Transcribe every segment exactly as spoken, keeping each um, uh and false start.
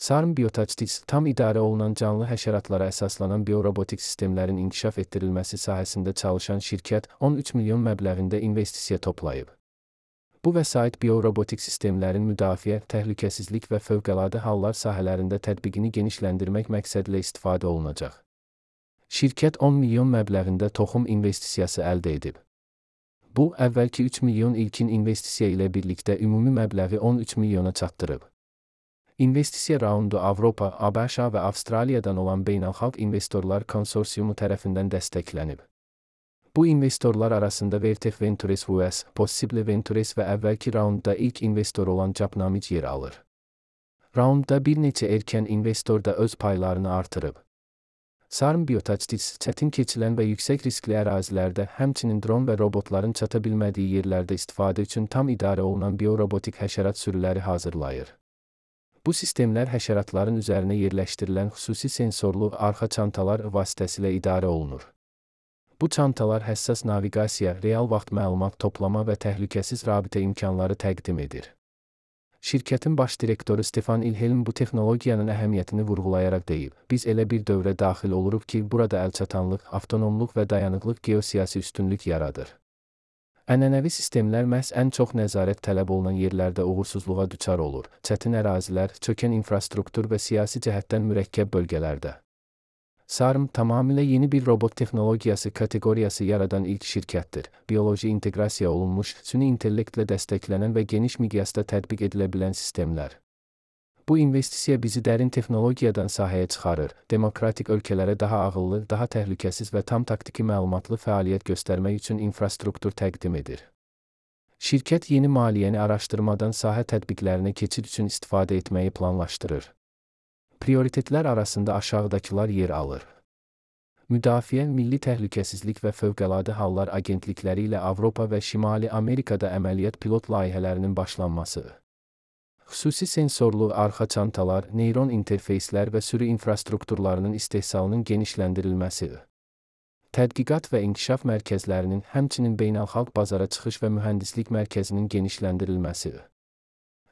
Sarm Biotaçtis, tam idarə olunan canlı həşəratlara əsaslanan biorobotik sistemlərin inkişaf etdirilməsi sahəsində çalışan şirkət on üç milyon məbləğində investisiya toplayıb. Bu vəsait biorobotik sistemlərin müdafiə, təhlükəsizlik və fövqəladə hallar sahələrində tətbiqini genişləndirmək məqsədilə istifadə olunacaq. Şirkət on milyon məbləğində toxum investisiyası əldə edib. Bu, əvvəlki üç milyon ilkin investisiya ilə birlikdə ümumi məbləği on üç milyona çatdırıb. İnvestisiya raundu Avropa, ABŞ və Avstraliyadan olan Beynəlxalq İnvestorlar Konsorsiumu tərəfindən dəstəklənib. Bu investorlar arasında Vertex Ventures U S, Possible Ventures və əvvəlki raundda ilk investor olan Capnamic yer alır. Raundda bir neçə erkən investor da öz paylarını artırıb. Sarm Biotaçtis, çətin keçilən və yüksək riskli ərazilərdə, həmçinin dron və robotların çata bilmədiyi yerlərdə istifadə üçün tam idarə olunan biorobotik həşərat sürüləri hazırlayır. Bu sistemlər həşəratların üzərinə yerləşdirilən xüsusi sensorlu arxa çantalar vasitəsilə idarə olunur. Bu çantalar həssas naviqasiya, real vaxt məlumat toplama və təhlükəsiz rabitə imkanları təqdim edir. Şirkətin baş direktoru Stefan İlhelm bu texnologiyanın əhəmiyyətini vurğulayaraq deyib: "Biz elə bir dövrə daxil oluruq ki, burada əlçatanlıq, avtonomluq və dayanıqlıq geosiyasi üstünlük yaradır." Ənənəvi sistemlər məhz ən çox nəzarət tələb olunan yerlərdə uğursuzluğa düçar olur, çətin ərazilər, çökən infrastruktur və siyasi cəhətdən mürəkkəb bölgələrdə. Sarm, tamamilə yeni bir robot texnologiyası kateqoriyası yaradan ilk şirkətdir. Bioloji inteqrasiya olunmuş, süni intellektlə dəstəklənən və geniş miqyasda tətbiq edilə bilən sistemlər. Bu investisiya bizi dərin texnologiyadan sahəyə çıxarır, demokratik ölkələrə daha ağıllı, daha təhlükəsiz və tam taktiki məlumatlı fəaliyyət göstərmək üçün infrastruktur təqdim edir. Şirkət yeni maliyyəni araşdırmadan sahə tətbiqlərinə keçid üçün istifadə etməyi planlaşdırır. Prioritetlər arasında aşağıdakılar yer alır. Müdafiə, Milli Təhlükəsizlik və Fövqəladə Hallar Agentlikləri ilə Avropa və Şimali Amerikada əməliyyat pilot layihələrinin başlanması. Xüsusi sensorlu arxa çantalar, neyron interfeyslər və sürü infrastrukturlarının istehsalının genişləndirilməsi. Tədqiqat və inkişaf mərkəzlərinin, həmçinin beynəlxalq bazara çıxış və mühəndislik mərkəzinin genişləndirilməsi.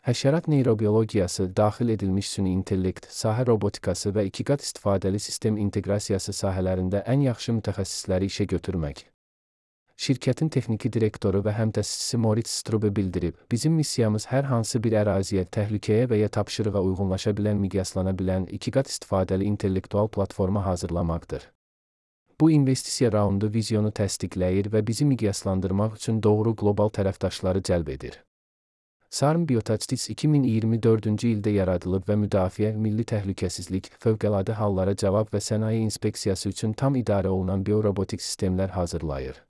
Həşərat neyrobiologiyası, daxil edilmiş süni intellekt, sahə robotikası və iki qat istifadəli sistem inteqrasiyası sahələrində ən yaxşı mütəxəssisləri işə götürmək. Şirkətin texniki direktoru və həmtəsisçisi Moritz Strube bildirib: "Bizim missiyamız hər hansı bir əraziyə, təhlükəyə və ya tapşırığa uyğunlaşa bilən, miqyaslana bilən, iki qat istifadəli intellektual platforma hazırlamaqdır." Bu investisiya raundu vizyonu təsdiqləyir və bizi miqyaslandırmaq üçün doğru qlobal tərəfdaşları cəlb edir. Sarm Biotaçtis iki min iyirmi dördüncü ildə yaradılıb və müdafiə, milli təhlükəsizlik, fövqəladə hallara cavab və sənaye inspeksiyası üçün tam idarə olunan biorobotik sistemlər hazırlayır.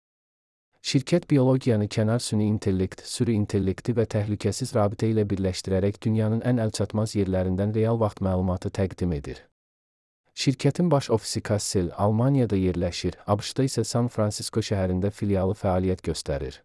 Şirkət biologiyanı kənar süni intellekt, sürü intellekti və təhlükəsiz rabitə ilə birləşdirərək dünyanın ən əlçatmaz yerlərindən real vaxt məlumatı təqdim edir. Şirkətin baş ofisi Kassel, Almaniyada yerləşir, ABŞ-da isə San Fransisko şəhərində filialı fəaliyyət göstərir.